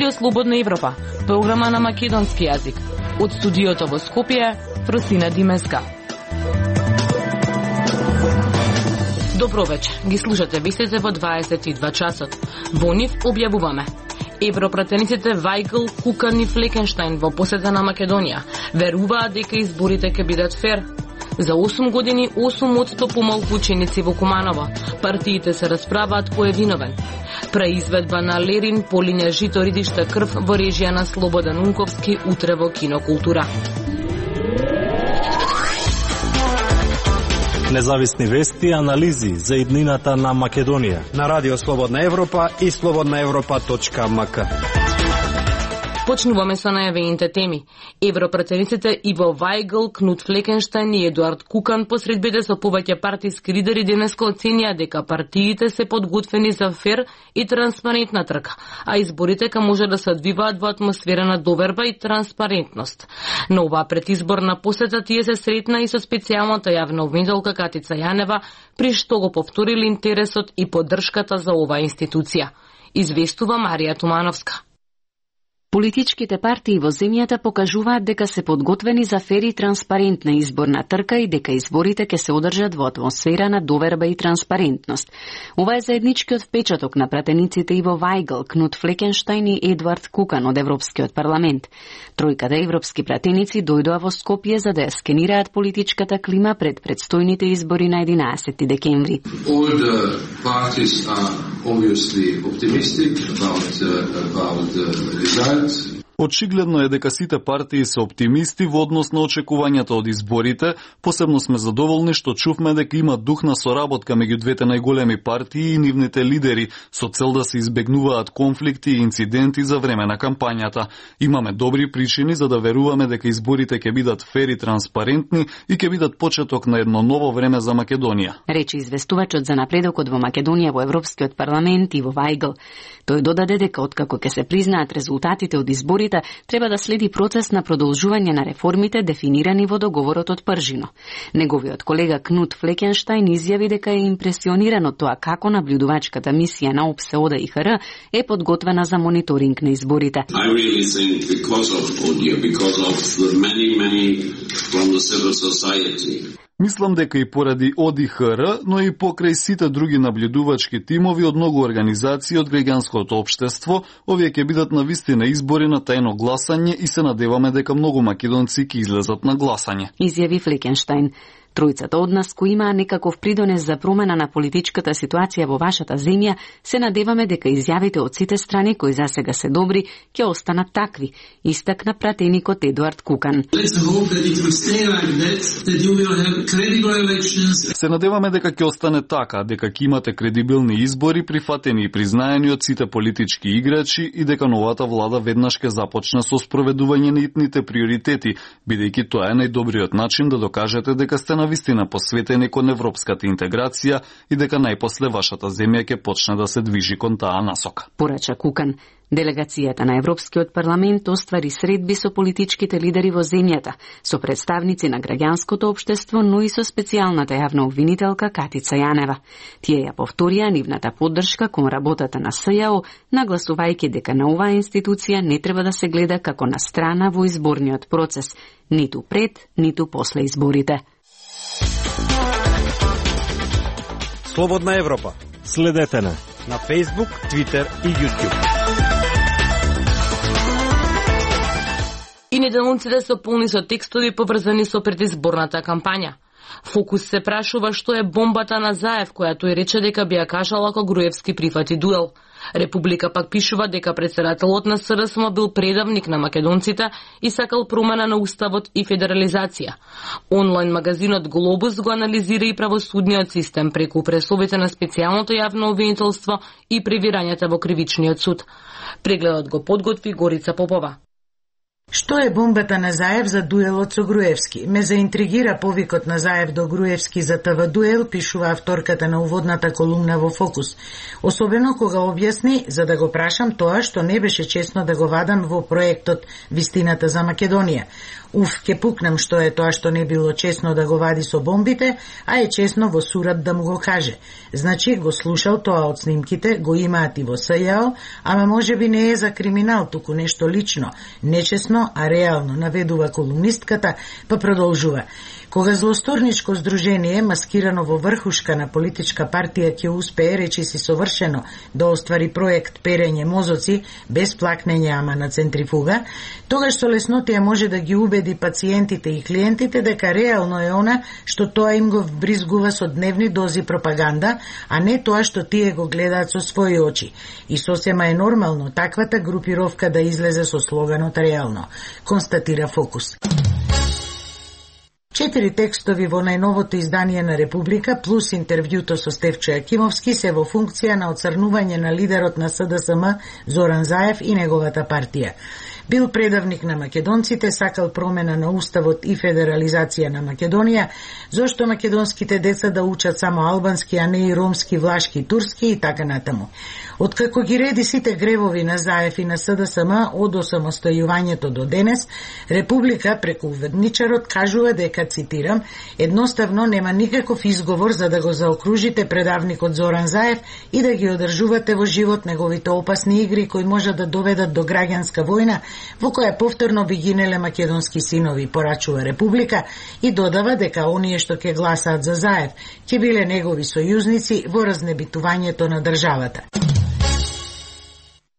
Радио Слободна Европа, програма на македонски јазик. Од студиото во Скопје, Фросина Димеска. Добро вечер, ги слушате вестите во 22 часот. Во нив објавуваме: европратениците Вајгл, Кукан и Флекенштајн во посета на Македонија веруваат дека изборите ќе бидат фер. За 8 години 8% помалку ученици во Куманово. Партиите се расправаат кој е виновен. Преизведба на Лерин, Полиња жито ридишта крв во режија на Слободан Унковски утре во Кинокултура. Независни вести и анализи за иднината на Македонија на Радио Слободна Европа и slobodnaevropa.mk. Почнуваме со најавените теми. Европратениците Иво Вајгл, Кнут Флекенштајн и Едуард Кукан по средбите со повеќе партиски лидери денеска оценија дека партиите се подготвени за фер и транспарентна трка, а изборите може да се одвиваат во атмосфера на доверба и транспарентност. На оваа предизборна посета тие се сретна и со специјалната јавна обвинителка Катица Јанева, при што го повторили интересот и поддршката за оваа институција. Известува Марија Тумановска. Политичките партии во земјата покажуваат дека се подготвени за фер и транспарентна изборна трка и дека изборите ќе се одржат во атмосфера на доверба и транспарентност. Ова е заедничкиот впечаток на пратениците Иво Вајгл, Кнут Флекенштајн и Едуард Кукан од Европскиот парламент. Тројката европски пратеници дојдоа во Скопје за да ја скенираат политичката клима пред предстојните избори на 11 декември. All the parties are obviously optimistic about the results. Очигледно е дека сите партии се оптимисти во однос на очекувањата од изборите. Посебно сме задоволни што чувме дека има дух на соработка меѓу двете најголеми партии и нивните лидери со цел да се избегнуваат конфликти и инциденти за време на кампањата. Имаме добри причини за да веруваме дека изборите ќе бидат фер и транспарентни и ќе бидат почеток на едно ново време за Македонија. Речи известувачот за напредокот во Македонија во Европскиот парламент Иво Вајгл. Тој додаде дека откако ќе се признаат резултатите од изборите, треба да следи процес на продолжување на реформите дефинирани во договорот од Пржино. Неговиот колега Кнут Флекенштајн изјави дека е импресиониран од тоа како наблюдувачката мисија на ОПСЕ ОДИХР е подготвена за мониторинг на изборите. I really think because of the many from the civil society. Мислам дека и поради ОДИХР, но и покрај сите други наблюдувачки тимови од многу организации од граѓанското општество, овие ќе бидат навистина избори на тајно гласање и се надеваме дека многу македонци ќе излезат на гласање. Изјави Флекенштајн. Тројцата од нас кои имаа некаков придонес за промена на политичката ситуација во вашата земја, се надеваме дека изјавите од сите страни кои засега се добри ќе останат такви, истакна пратеникот Едуард Кукан. Се надеваме дека ќе остане така, дека ќе имате кредибилни избори, прифатени и признаени од сите политички играчи и дека новата влада веднаш ќе започне со спроведување на итните приоритети, бидејќи тоа е најдобриот начин да докажете дека сте навистина посветени кон европската интеграција и дека најпосле вашата земја ќе почне да се движи кон таа насока. Порача Кукан. Делегацијата на Европскиот парламент оствари средби со политичките лидери во земјата, со представници на граѓанското општество, но и со специјалната јавна обвинителка Катица Јанева. Тие ја повторија нивната поддршка кон работата на СЈО, нагласувајќи дека на оваа институција не треба да се гледа како на страна во изборниот процес, ниту пред, ниту после изборите. Слободна Европа. Следете на Facebook, Twitter и YouTube. И неделниците се полни со текстови поврзани со предизборната кампања. Фокус се прашува што е бомбата на Заев, која тој рече дека би ја кажала ако Груевски прифати дуел. Република пак пишува дека председателот на СРСМ бил предавник на македонците и сакал промена на уставот и федерализација. Онлайн магазинот Глобус го анализира и правосудниот систем преку пресовите на специјалното јавно обвинителство и превирањата во кривичниот суд. Прегледот го подготви Горица Попова. Што е бомбата на Заев за дуелот со Груевски? Ме заинтригира повикот на Заев до Груевски за ТВ дуел, пишува авторката на уводната колумна во Фокус. Особено кога објасни за да го прашам тоа што не беше честно да го вадам во проектот Вистината за Македонија. Ке пукнам што е тоа што не било честно да го вади со бомбите, а е честно во сурат да му го каже. Значи го слушал тоа од снимките, го имаат и во СЈО, ама може би не е за криминал, туку нешто лично, нечестно, а реално, наведува колумнистката, па продолжува. Кога злосторничко здружение, маскирано во врхушка на политичка партија, ќе успее речиси совршено да оствари проект перење мозоци, без плакнење, ама на центрифуга, тогаш со леснотија може да ги убеди пациентите и клиентите дека реално е она што тоа им го вбризгува со дневни дози пропаганда, а не тоа што тие го гледаат со своји очи. И сосема е нормално таквата групировка да излезе со слоганот реално, констатира Фокус. 4 текстови во најновото издание на Република плюс интервјуто со Стефчо Јакимовски се во функција на оцрнување на лидерот на СДСМ Зоран Заев и неговата партија. Бил предавник на македонците, сакал промена на уставот и федерализација на Македонија, зошто македонските деца да учат само албански, а не и ромски, влашки, турски и така натаму. Откако ги реди сите гревови на Заев и на СДСМ од осамостојувањето до денес, Република преку уведничарот кажува дека, цитирам, едноставно нема никаков изговор за да го заокружите предавникот Зоран Заев и да ги одржувате во живот неговите опасни игри кои може да доведат до граѓанска војна во која повторно би гинеле македонски синови, порачува Република и додава дека оние што ќе гласаат за Заев ќе биле негови сојузници во разнебитувањето на државата.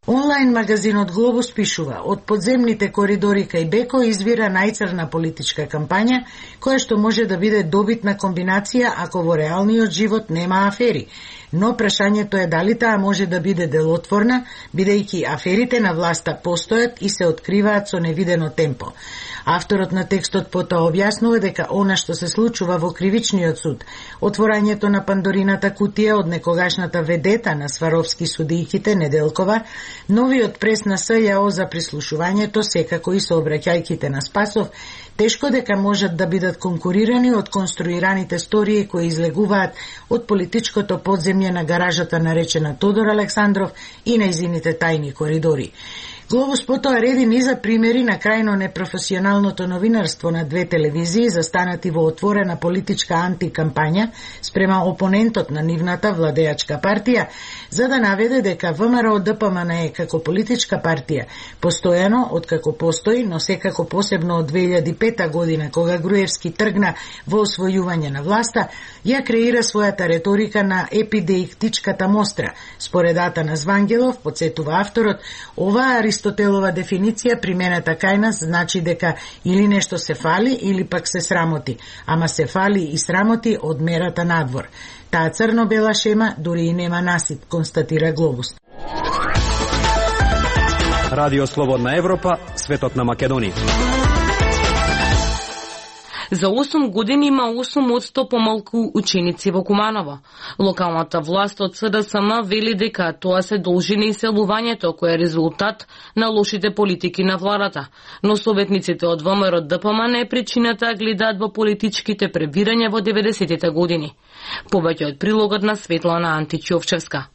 Онлайн магазинот Глобус пишува: од подземните коридори кај Беко извира најцрна политичка кампања, која што може да биде добитна комбинација ако во реалниот живот нема афери. Но прашањето е дали таа може да биде делотворна, бидејќи аферите на власта постојат и се откриваат со невидено темпо. Авторот на текстот потоа објаснува дека она што се случува во кривичниот суд, отворањето на Пандорината кутија од некогашната ведета на сваровски судијките Неделкова, новиот прес на СЈО за прислушувањето, секако и сообраќајките на Спасов, тешко дека можат да бидат конкурирани од конструираните стории кои излегуваат од политичкото подземје на гаражата наречена Тодор Александров и нејзините тајни коридори. Глобус потоа реди низа примери на крајно непрофесионалното новинарство на две телевизии застанати во отворена политичка антикампања спрема опонентот на нивната владеачка партија, за да наведе дека ВМРО ДПМН како политичка партија постојано, откако постои, но секако посебно од 2005 година кога Груевски тргна во освојување на власта, ја креира својата реторика на епидеиктичката мостра. Според Атанас Звангелов, подсетува авторот, оваа Аристотелова дефиниција примената кај нас значи дека или нешто се фали или пак се срамоти, ама се фали и срамоти од мерата надвор. Таа црно-бела шема дури и нема насип, констатира Глобус. Радио Слободна Европа, светот на Македонија. За 8 години има 8% помалку ученици во Куманово. Локалната власт од СДСМ вели дека тоа се должи на иселувањето, кој е резултат на лошите политики на владата. Но советниците од ВМРО ДПМН е причината гледаат во политичките пребирања во 90-тите години. Повеќе од прилогот на Светлана Античовчевска.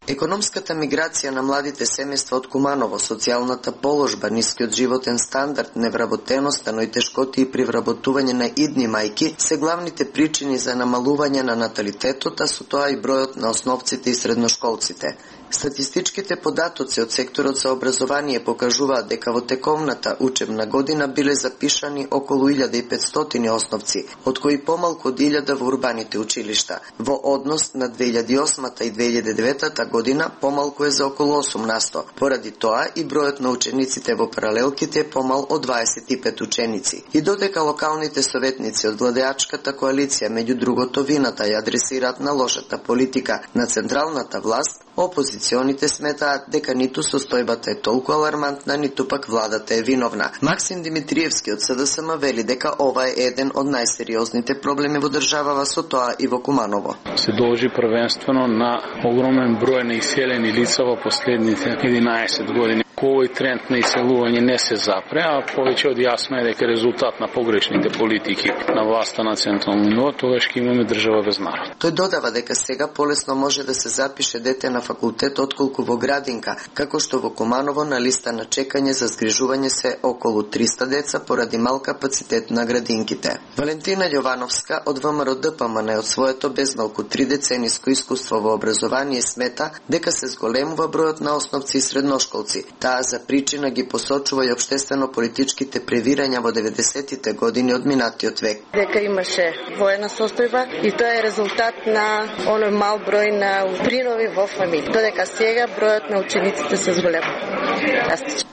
Економската миграција на младите семејства од Куманово, социјалната положба, нискиот животен стандард, невработеноста, но и тешкоти при вработување на идни мајки се главните причини за намалување на наталитетот, а со тоа и бројот на основците и средношколците. Статистичките податоци од секторот за образование покажуваат дека во тековната учебна година биле запишани околу 1500 основци, од кои помалку од 1000 во урбаните училишта. Во однос на 2008 и 2009 година помалку е за околу 8%. Поради тоа и бројот на учениците во паралелките е помал од 25 ученици. И додека локалните советници од владеачката коалиција меѓу другото вината ја адресираат на лошата политика на централната власт, опозиционите сметаат дека ниту состојбата е толку алармантна, ниту пак владата е виновна. Максим Димитриевски од СДСМ вели дека ова е еден од најсериозните проблеми во државава, со тоа и во Куманово. Се должи првенствено на огромен број на иселени лица во последните 11 години. овој тренд на иселување не се запре, а повеќе од јасно е дека резултат на погрешните политики на власта на централно ниво, тогаш ќе имаме држава без народ. Тој додава дека сега полесно може да се запише дете на факултет отколку во градинка, како што во Куманово на листа на чекање за згрижување се околу 300 деца поради мал капацитет на градинките. Валентина Јовановска од ВМРО ДПМН од своето безмалку 3 децениско искуство во образование смета дека се зголемува бројот на основци и средношколци. Таа за причина ги посочува и општествено-политичките превирања во 90-тите години од минатиот век. Дека имаше воена состојба и тоа е резултат на оној мал број на принови во фамилија. Додека сега бројот на учениците се зголемува.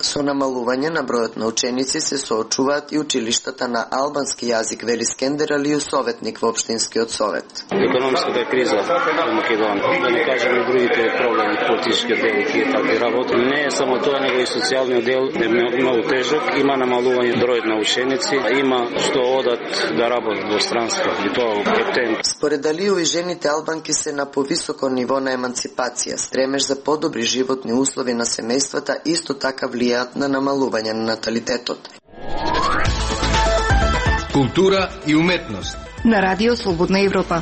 Со намалување на бројот на ученици се соочуваат и училиштата на албански јазик, вели Скендер Алију, советник во општинскиот совет. Економската криза во Македонија, да не кажеме и другите проблеми, политичкиот дел и тие такви работи, не е само тоа, него и социјалниот дел е многу тежок, има намалување бројот на ученици, има што одат да работат во странство и тоа е. Според Алију и жените албанки се на повисоко ниво на еманципација, стремеж за подобри животни услови на семејствата исто така влијаат на намалување на наталитетот. Култура и уметност на Радио Слободна Европа.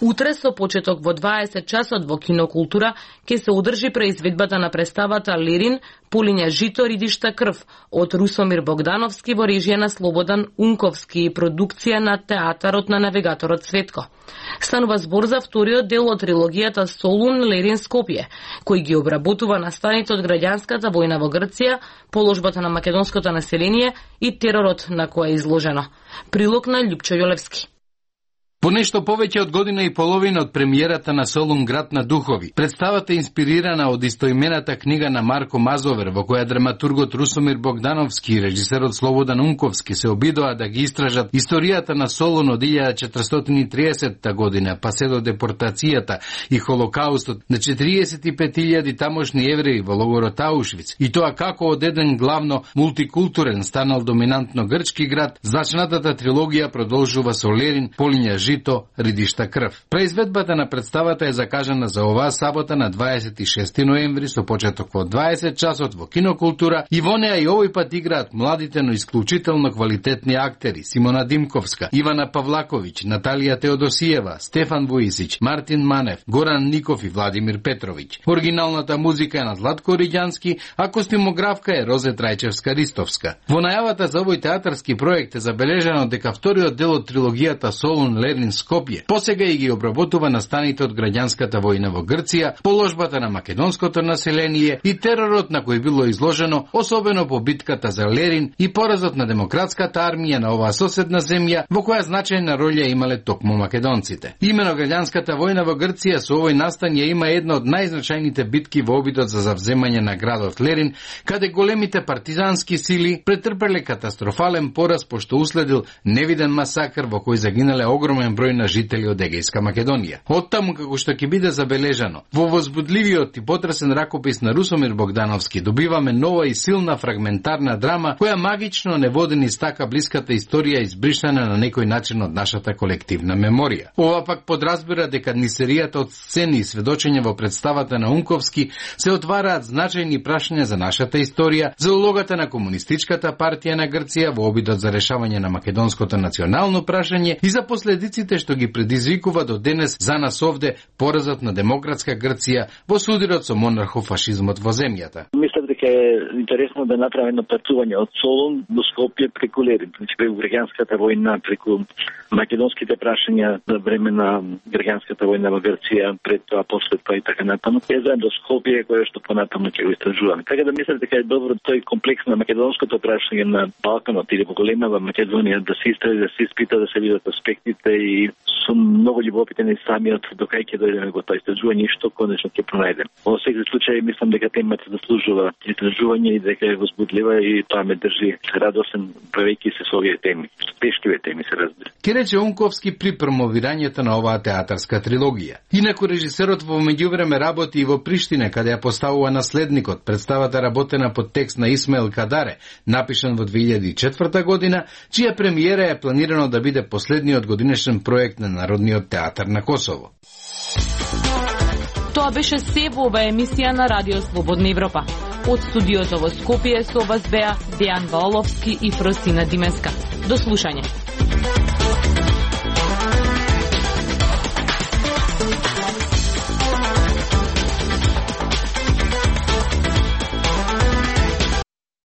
Утре со почеток во 20 часот во Кинокултура ќе се одржи преизведбата на представата Лерин Пулиња жито, ридишта крв од Русомир Богдановски во режија на Слободан Унковски и продукција на театарот на навигаторот Светко. Станува збор за вториот дел од трилогијата Солун Лерин Скопје, кој ги обработува настаните од граѓанската војна во Грција, положбата на македонското население и теророт на кој е изложено. Прилог на Љупчо Јолевски. По нешто повеќе од година и половина од премиерата на Солун град на духови, представата е инспирирана од истоимената книга на Марко Мазовер, во која драматургот Русомир Богдановски и режисерот Слободан Унковски се обидоа да ги истражат историјата на Солун од 1430 година, па се до депортацијата и холокаустот на 45.000 тамошни евреи во логорот Аушвиц, и тоа како од еден главно мултикултурен станал доминантно грчки град, зачнатата трилогија продолжува со Лерин Пулиња жито, ридишта крв. Преизведбата на представата е закажана за оваа сабота на 26 ноември со почеток во 20 часот во Кинокултура и во неа и овој пат играат младите, но исклучително квалитетни актери Симона Димковска, Ивана Павлаковиќ, Наталија Теодосиева, Стефан Вуисич, Мартин Манев, Горан Ников и Владимир Петровиќ. Оригиналната музика е на Златко Риѓански, а костимографка е Розе Трајчевска-Ристовска. Во најавата за овој театарски проект е забележано дека вториот дел од трилогијата Солун Лерин Скопје посега и ги обработува настаните од граѓанската војна во Грција, положбата на македонското население и теророт на кој било изложено, особено по битката за Лерин и поразот на демократската армија на оваа соседна земја, во која значајна роља имале токму македонците. Имено граѓанската војна во Грција со овој настан ја има една од најзначајните битки во обидот за завземање на градот Лерин, каде големите партизански сили претрпеле катастрофален пораз пошто уследил невиден масакр во кој загинале огромен број на жители од Егејска Македонија. Оттаму, како што ќе биде забележано, во возбудливиот и потресен ракопис на Русомир Богдановски добиваме нова и силна фрагментарна драма, која магично не води низ така блиската историја избришана на некој начин од нашата колективна меморија. Ова пак подразбира дека низ серијата од сцени и сведочења во представата на Унковски се отвараат значајни прашања за нашата историја, за улогата на комунистичката партија на Грција во обидот за решавање на македонското национално прашање и за последиците што ги предизвикува до денес за нас овде поразот на демократска Грција во судирот со монархофашизмот во земјата. Мислам дека е интересно да направи едно патување од Солун до Скопје преку Лерин, преку граѓанската војна, преку македонските прашања за време на граѓанската војна во Грција, пред тоа, после тоа и така натаму. Е заедно до Скопје, кое што понатаму ќе го истражуваме. Така да мислам дека е добро тој комплекс на македонското прашање на Балканот или во големава Македонија да се истраži, да се испита, да се видат аспектите и сум многу љубопитен и самиот до кај ќе дојдеме во тоа истражување и што конечно ќе пронајдеме. Во секој случај мислам дека темата заслужува истражување и дека е возбудлива и тоа ме држи радосен правејќи се со овие теми. Тешкиве теми се разбира. Ке рече Унковски при промовирањето на оваа театарска трилогија. Инаку режисерот во меѓувреме работи и во Приштина, каде ја поставува наследникот. Представата работена под текст на Исмаил Кадаре, напишан во 2004 година, чија премиера е планирано да биде последниот годинешен проект на Народниот театар на Косово. Тоа беше се во оваа емисија на Радио Слободна Европа. Од студиото во Скопје со вас беа Дејан Ваоловски и Фросина Димеска. До слушање.